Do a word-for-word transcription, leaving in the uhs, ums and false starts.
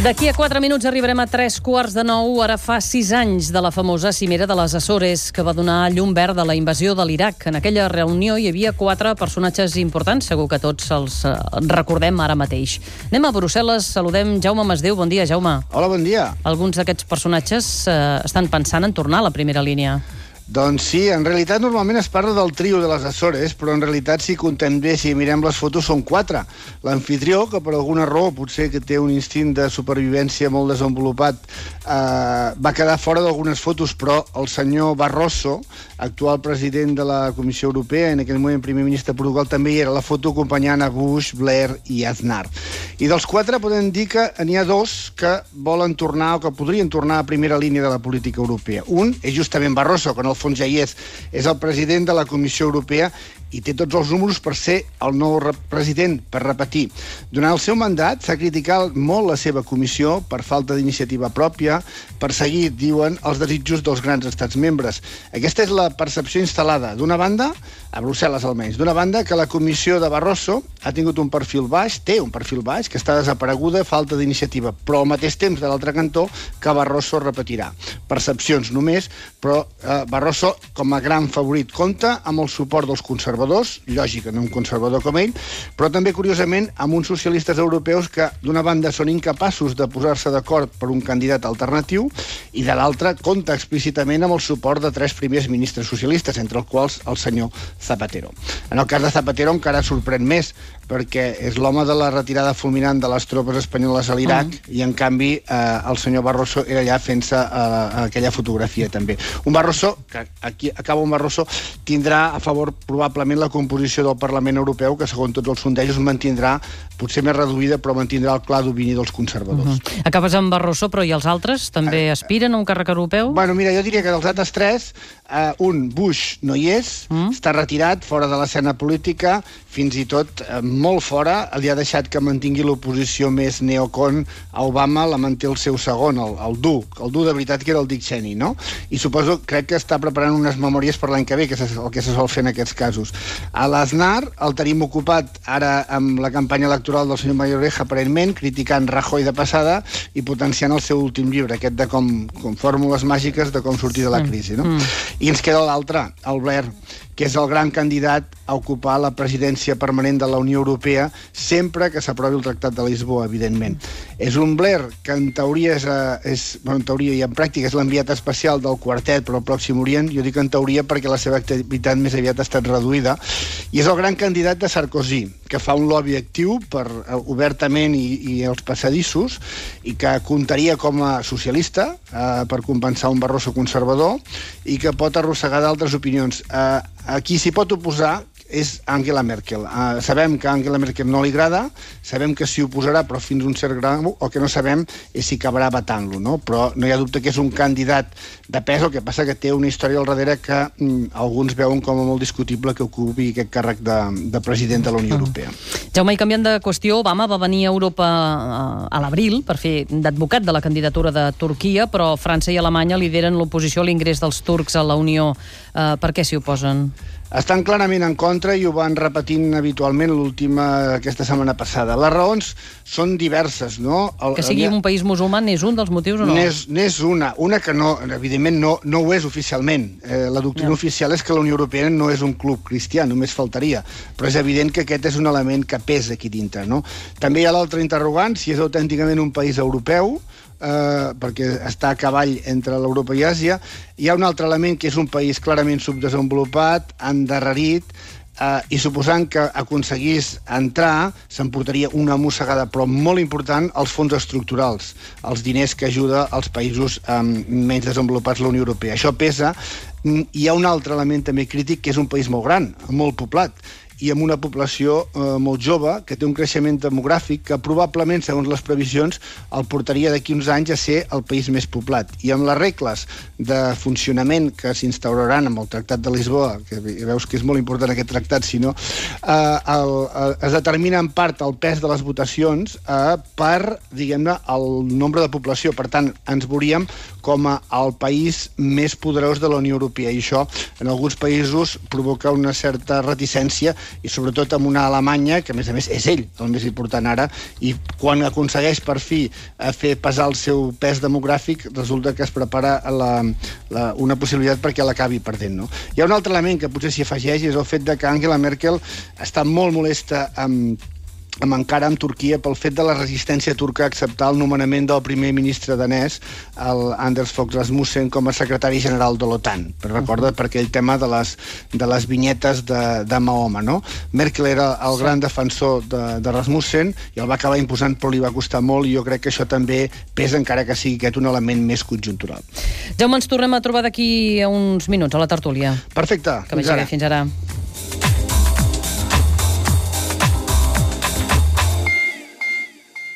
D'aquí a quatre minuts arribarem a tres quarts de nou. Ara fa sis anys de la famosa cimera de les Açores, que va donar llum verd a la invasió de l'Iraq. En aquella reunió hi havia quatre personatges importants, segur que tots els eh, recordem ara mateix. Anem a Brussel·les, saludem Jaume Masdeu. Bon dia, Jaume. Hola, bon dia. Alguns d'aquests personatges eh, estan pensant en tornar a la primera línia. Doncs sí, en realitat normalment es parla del trio de les Açores, però en realitat si contem bé, si mirem les fotos, són quatre. L'anfitrió, que per alguna raó potser que té un instint de supervivència molt desenvolupat, eh, va quedar fora d'algunes fotos, però el senyor Barroso, actual president de la Comissió Europea, en aquell moment primer ministre de Portugal, també hi era la foto acompanyant a Bush, Blair i Aznar. I dels quatre podem dir que n'hi ha dos que volen tornar o que podrien tornar a primera línia de la política europea. Un és justament Barroso, que en el fons ja hi és, és el president de la Comissió Europea i té tots els números per ser el nou president, per repetir. Durant el seu mandat s'ha criticat molt la seva comissió per falta d'iniciativa pròpia, per seguir, diuen, els desitjos dels grans estats membres. Aquesta és la percepció instal·lada, d'una banda, a Brussel·les almenys, d'una banda que la comissió de Barroso ha tingut un perfil baix, té un perfil baix, que està desapareguda, falta d'iniciativa, però al mateix temps, de l'altre cantó, que Barroso repetirà. Percepcions només, però eh, Barroso, com a gran favorit, compta amb el suport dels conservadors, lògic, no un conservador com ell, però també, curiosament, amb uns socialistes europeus que, d'una banda, són incapaços de posar-se d'acord per un candidat alternatiu i, de l'altra, compta explícitament amb el suport de tres primers ministres socialistes, entre els quals el senyor Zapatero. En el cas de Zapatero encara sorprèn més, perquè és l'home de la retirada fulminant de les tropes espanyoles a l'Iraq mm. i, en canvi, eh, el senyor Barroso era allà fent-se eh, aquella fotografia, també. Un Barroso, que aquí acaba un Barroso, tindrà a favor, probablement, la composició del Parlament Europeu, que, segons tots els sondejos, mantindrà, potser més reduïda, però mantindrà el clar domini dels conservadors. Mm-hmm. Acabes amb Barroso, però i els altres també eh, aspiren a un càrrec europeu? Bueno, mira, jo diria que dels altres tres, eh, un, Bush, no hi és, mm. està retirat, fora de l'escena política, fins i tot eh, molt fora, li ha deixat que mantingui l'oposició més neocon a Obama, la manté el seu segon, el, el dur, el dur de veritat que era el Dick Cheney, no? I suposo, crec que està preparant unes memòries per l'any que ve, que és el que se sol fer en aquests casos. A l'Aznar el tenim ocupat ara amb la campanya electoral del senyor Mayoreja, aparentment, criticant Rajoy de passada i potenciant el seu últim llibre, aquest de com, com fórmules màgiques de com sortir de la crisi, no? Mm. I ens queda l'altre, el Blair, que és el gran candidat a ocupar la presidència permanent de la Unió Europea sempre que s'aprovi el Tractat de Lisboa, evidentment. És un Blair que en teoria és, és bueno, en teoria i en pràctica és l'enviat especial del quartet per al Pròxim Orient. Jo dic en teoria perquè la seva activitat més aviat ha estat reduïda. I és el gran candidat de Sarkozy, que fa un lobby actiu per, uh, obertament i, i els passadissos, i que comptaria com a socialista uh, per compensar un Barroso conservador i que pot arrossegar d'altres opinions. Uh, a qui s'hi pot oposar és Angela Merkel. Uh, sabem que a Angela Merkel no li agrada, sabem que s'hi oposarà, però fins a un cert grau, o que no sabem és si acabarà batant-lo, no? Però no hi ha dubte que és un candidat de pes, el que passa que té una història al darrere que mm, alguns veuen com a molt discutible que ocupi aquest càrrec de, de president de la Unió Europea. Jaume, i canviant de qüestió, Obama va venir a Europa a l'abril per fer d'advocat de la candidatura de Turquia, però França i Alemanya lideren l'oposició a l'ingrés dels turcs a la Unió. Uh, per què s'hi oposen? Estan clarament en contra i ho van repetint habitualment l'última, aquesta setmana passada. Les raons són diverses, no? El, que sigui un país musulmà n'és un dels motius o no? N'és una. Una que no, evidentment no, no ho és oficialment. Eh, la doctrina ja. oficial és que la Unió Europea no és un club cristià, només faltaria. Però és evident que aquest és un element que pesa aquí dintre, no? També hi ha l'altre interrogant, si és autènticament un país europeu, Uh, perquè està a cavall entre l'Europa i Àsia. Hi ha un altre element que és un país clarament subdesenvolupat, endarrerit, uh, i suposant que aconseguís entrar, s'emportaria una mossegada, però molt important, els fons estructurals, els diners que ajuda als països um, menys desenvolupats de la Unió Europea. Això pesa. Hi ha un altre element també crític, que és un país molt gran, molt poblat, i amb una població eh, molt jove, que té un creixement demogràfic que probablement, segons les previsions, el portaria d'aquí uns anys a ser el país més poblat. I amb les regles de funcionament que s'instauraran amb el Tractat de Lisboa, que veus que és molt important aquest tractat, si no, eh, el, el, es determina en part el pes de les votacions eh, per, diguem-ne, el nombre de població. Per tant, ens veuríem com a el país més poderós de la Unió Europea. I això, en alguns països, provoca una certa reticència i sobretot amb una Alemanya, que a més a més és ell el més important ara, i quan aconsegueix per fi fer pesar el seu pes demogràfic, resulta que es prepara la, la, una possibilitat perquè l'acabi perdent. No? Hi ha un altre element que potser s'hi afegeix, és el fet de que Angela Merkel està molt molesta amb amb encara amb Turquia pel fet de la resistència turca a acceptar el nomenament del primer ministre danès, el Anders Fogh Rasmussen, com a secretari general de l'OTAN. Però recorda per aquell tema de les, de les vinyetes de, de Mahoma, no? Merkel era el sí. gran defensor de, de Rasmussen i el va acabar imposant, però li va costar molt, i jo crec que això també pesa, encara que sigui aquest un element més conjuntural. Jaume, ens tornem a trobar d'aquí a uns minuts a la tertúlia. Perfecte. Que vagi bé, fins ara.